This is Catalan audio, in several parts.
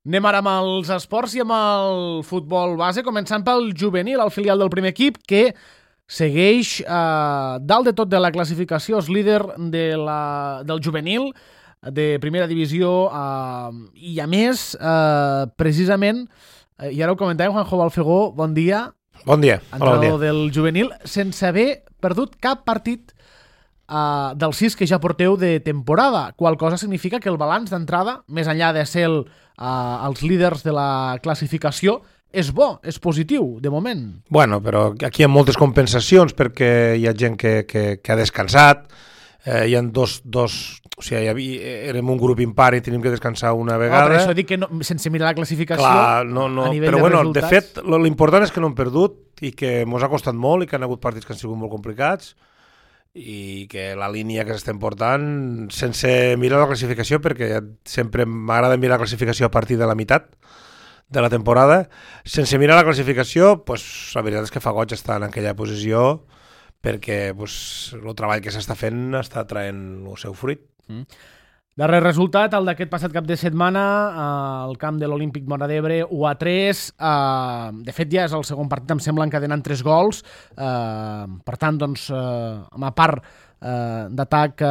Anem ara amb els esports i amb el futbol base, començant pel juvenil, el filial del primer equip, que segueix dalt de tot de la classificació, és líder del juvenil de primera divisió i a més, precisament, i ara ho comentàvem, Juanjo Balfegó, bon dia. Bon dia. Entrenador del juvenil, sense haver perdut cap partit dels 6 que ja porteu de temporada, qual cosa significa que el balanç d'entrada, més enllà de ser els líders de la classificació, és bo, és positiu, de moment. Bueno, però aquí hi ha moltes compensacions perquè hi ha gent que ha descansat, hi ha dos o sigui, érem un grup impar i tenim que descansar una vegada. Per això dic que no, sense mirar la classificació, clar, a nivell però de bueno, resultats... de fet, l'important és que no hem perdut i que ens ha costat molt i que han hagut partits que han sigut molt complicats i que la línia que s'estem portant, sense mirar la classificació, perquè sempre m'agrada mirar la classificació a partir de la meitat de la temporada, sense mirar la classificació, pues, la veritat és que fa goig estar en aquella posició perquè el treball que s'està fent està traient el seu fruit. Darrer resultat, el d'aquest passat cap de setmana, al camp de l'Olímpic Móra d'Ebre, 1-3. De fet, ja és el segon partit, em sembla, encadenant 3 gols. Per tant, doncs, amb a part d'atac,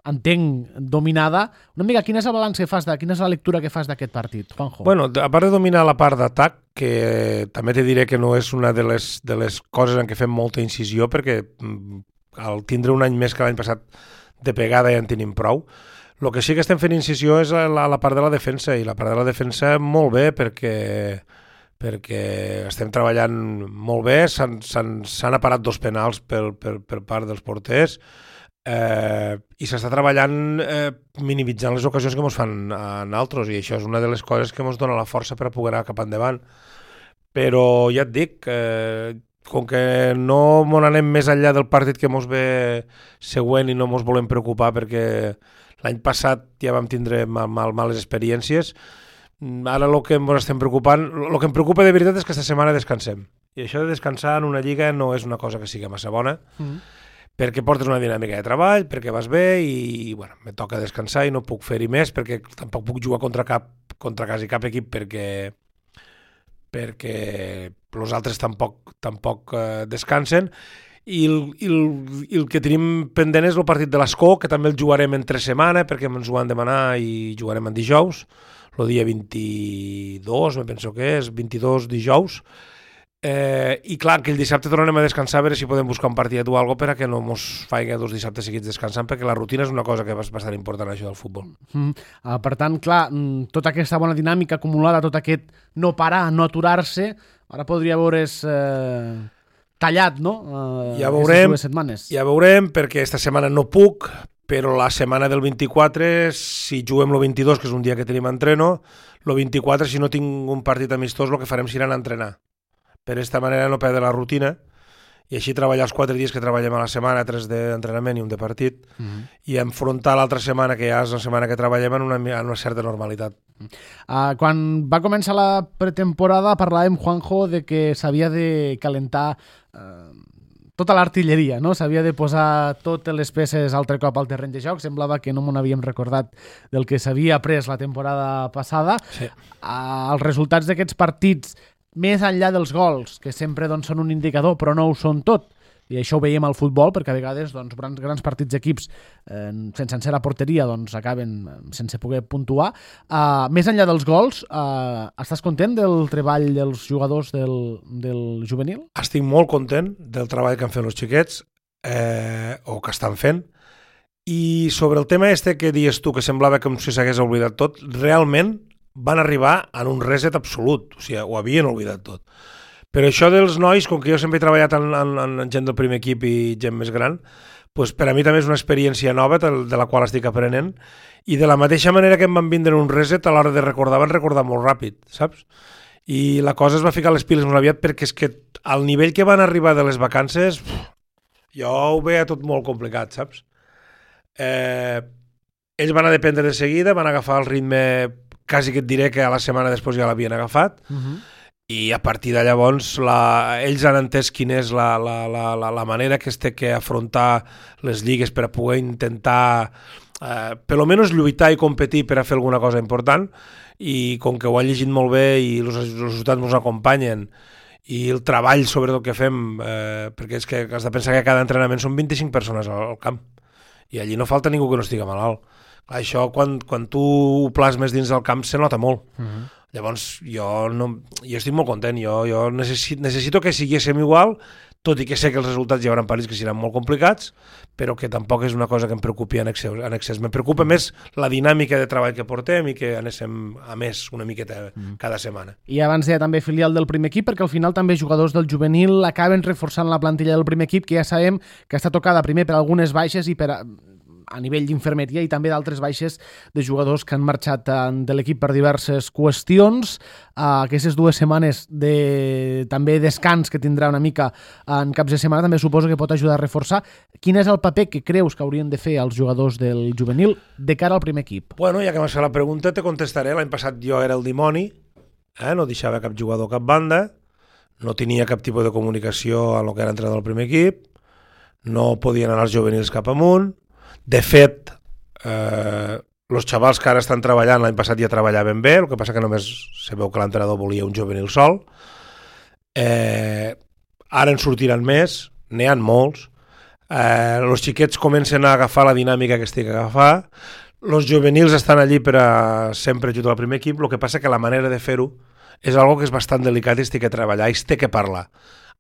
entenc, dominada. Una mica, quin és el balanç que fas, quina és la lectura que fas d'aquest partit, Juanjo? Bueno, a part de dominar la part d'atac, que també te diré que no és una de les coses en què fem molta incisió, perquè al tindre un any més que l'any passat de pegada ja en tenim prou. El que sí que estem fent incisió és la part de la defensa, i la part de la defensa molt bé perquè estem treballant molt bé, s'han aparat 2 penals per part dels porters i s'està treballant minimitzant les ocasions que ens fan a nosaltres, i això és una de les coses que ens dona la força per a poder anar cap endavant. Però ja et dic, com que no mos anem més enllà del partit que mos ve següent i no mos volem preocupar perquè l'any passat ja vam tindre males experiències, ara el que ens estem preocupant, el que em preocupa de veritat és que esta setmana descansem. I això de descansar en una lliga no és una cosa que sigui massa bona, perquè portes una dinàmica de treball, perquè vas bé i bueno, me toca descansar i no puc fer-hi més perquè tampoc puc jugar contra quasi cap equip perquè els altres tampoc descansen. I el que tenim pendent és el partit de l'Escó, que també el jugarem entre setmana perquè ens ho han demanat i jugarem en dijous, el dia 22, me penso que és, 22 dijous. I clar, que el dissabte tornarem a descansar a veure si podem buscar un partit o alguna cosa perquè no mos faig 2 dissabtes seguits descansant, perquè la rutina és una cosa que és bastant important, això del futbol. Per tant, clar, tota aquesta bona dinàmica acumulada, tot aquest no parar, no aturar-se, ara podria veure's tallat, no? Ja veurem, 2 setmanes. Ja veurem, perquè esta setmana no puc, però la setmana del 24, si juguem el 22, que és un dia que tenim entreno, el 24, si no tinc un partit amistós, el que farem serà anar a entrenar. Per aquesta manera no perdre la rutina i així treballar els 4 dies que treballem a la setmana, 3 d'entrenament i un de partit, i enfrontar l'altra setmana, que ja és la setmana que treballem, en una certa normalitat. Quan va començar la pretemporada parlàvem, Juanjo, de que s'havia de calentar tota l'artilleria, no? S'havia de posar totes les peces altre cop al terreny de joc. Semblava que no m'ho havíem recordat del que s'havia après la temporada passada. Sí. Els resultats d'aquests partits, més enllà dels gols, que sempre doncs, són un indicador, però no ho són tot, i això ho veiem al futbol, perquè a vegades doncs, grans partits d'equips sense encer a porteria doncs, acaben sense poder puntuar. Més enllà dels gols, estàs content del treball dels jugadors del juvenil? Estic molt content del treball que han fet els xiquets, o que estan fent, i sobre el tema que dius tu, que semblava com si s'hagués oblidat tot, realment van arribar en un reset absolut, o sigui, ho havien oblidat tot. Però això dels nois, com que jo sempre he treballat en gent del primer equip i gent més gran, doncs per a mi també és una experiència nova de la qual estic aprenent, i de la mateixa manera que em van vindre un reset, a l'hora de recordar, van recordar molt ràpid, saps? I la cosa es va ficar les piles molt aviat, perquè és que al nivell que van arribar de les vacances, jo ho veia tot molt complicat, saps? Ells van a dependre de seguida, van agafar el ritme, quasi que et diré que a la setmana després ja l'havien agafat, i a partir de llavors ells han entès quina és la manera que es té que afrontar les lligues per a poder intentar per almenys lluitar i competir per a fer alguna cosa important, i com que ho han llegit molt bé i els resultats ens acompanyen i el treball sobretot que fem, perquè és que has de pensar que cada entrenament són 25 persones al camp i allí no falta ningú que no estigui malalt. Clar, això quan tu ho plasmes dins del camp se nota molt. Llavors jo estic molt content, jo necessito que siguéssim igual, tot i que sé que els resultats hi haurà partits que seran molt complicats, però que tampoc és una cosa que em preocupi en excés. Me preocupa més la dinàmica de treball que portem i que anéssim a més una miqueta cada setmana. I abans deia també filial del primer equip, perquè al final també jugadors del juvenil acaben reforçant la plantilla del primer equip, que ja sabem que està tocada primer per algunes baixes i a nivell d'infermeria i també d'altres baixes de jugadors que han marxat de l'equip per diverses qüestions. Aquestes 2 setmanes també descans que tindrà una mica en caps de setmana també suposo que pot ajudar a reforçar. Quin és el paper que creus que haurien de fer els jugadors del juvenil de cara al primer equip? Bueno, ja que m'has fet la pregunta te contestaré. L'any passat jo era el dimoni, no deixava cap jugador cap banda, no tenia cap tipus de comunicació amb el que era entrenador del primer equip, no podien anar els juvenils cap amunt. De fet, els xavals que ara estan treballant l'any passat ja treballaven bé, el que passa que només se veu que l'entrenador volia un juvenil sol. Ara en sortiran més, n'hi ha molts. Els xiquets comencen a agafar la dinàmica que estic a agafar. Els juvenils estan allí per a sempre ajudar al primer equip, el que passa que la manera de fer-ho és algo que és bastant delicat i es té que treballar, i es té que parlar.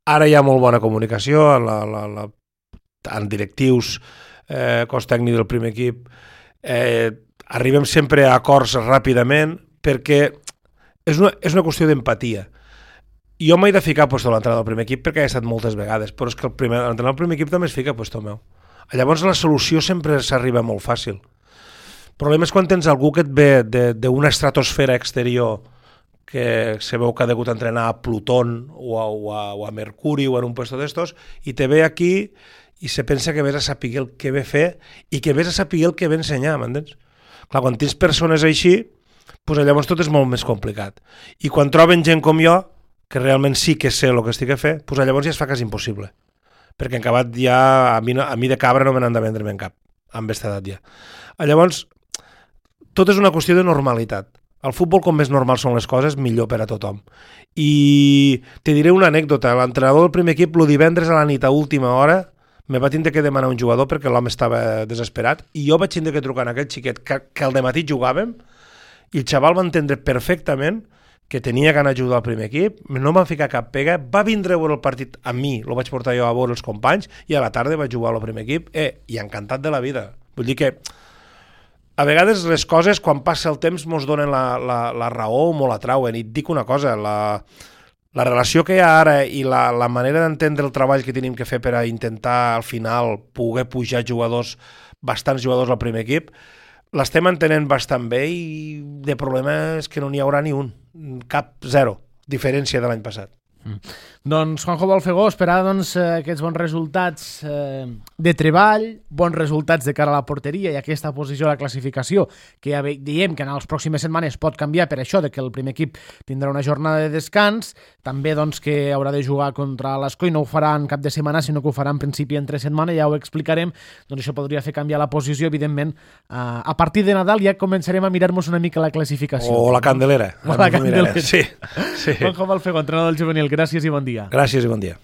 Ara hi ha molt bona comunicació en directius, cos tècnic del primer equip, arribem sempre a acords ràpidament perquè és una qüestió d'empatia. Jo m'he de ficar a puesto l'entrenador del primer equip perquè he estat moltes vegades, però és que l'entrenador del primer equip també es fica a puesto meu. Llavors la solució sempre s'arriba molt fàcil. El problema és quan tens algú que et ve d'una estratosfera exterior que se veu que ha degut entrenar a Plutón o a Mercuri o en un puesto d'estos i te ve aquí i se pensa que vés a saber el que ve fer i que vés a saber el que ve ensenyar, m'entens? Clar, quan tens persones així, doncs llavors tot és molt més complicat. I quan troben gent com jo, que realment sí que sé el que estic a fer, doncs llavors ja es fa quasi impossible. Perquè en acabat ja, a mi de cabra no me n'han de vendre en cap, amb aquesta edat ja. Llavors, tot és una qüestió de normalitat. Al futbol, com més normal són les coses, millor per a tothom. I te diré una anècdota. L'entrenador del primer equip, el divendres a la nit a última hora, me va tindre que demanar un jugador perquè l'home estava desesperat i jo vaig tindre que trucar a aquell xiquet que al dematí jugàvem i el xaval va entendre perfectament que tenia que anar a ajudar al primer equip, no m'ha ficat cap pega, va vindre a veure el partit amb mi, el vaig portar jo a veure els companys i a la tarda vaig jugar al primer equip i encantat de la vida. Vull dir que a vegades les coses quan passa el temps mos donen la raó o mos la trauen i et dic una cosa, la relació que hi ha ara i la manera d'entendre el treball que tenim que fer per a intentar al final poder pujar bastants jugadors al primer equip, l'estem entenent bastant bé i de problema és que no n'hi haurà ni un, cap, zero, diferència de l'any passat. Doncs Juanjo Balfegó, esperar aquests bons resultats de treball, bons resultats de cara a la porteria i aquesta posició a la classificació, que ja diem que en les pròximes setmanes pot canviar per això de que el primer equip tindrà una jornada de descans, també que haurà de jugar contra l'Escoi, no ho farà en cap de setmana, sinó que ho farà en principi entre setmana, ja ho explicarem, doncs això podria fer canviar la posició, evidentment, a partir de Nadal ja començarem a mirar-nos una mica la classificació. O la Candelera. O la Candelera. Sí. Juanjo Balfegó, entrenador del juvenil, gràcies i bon dia. Gràcies i bon dia.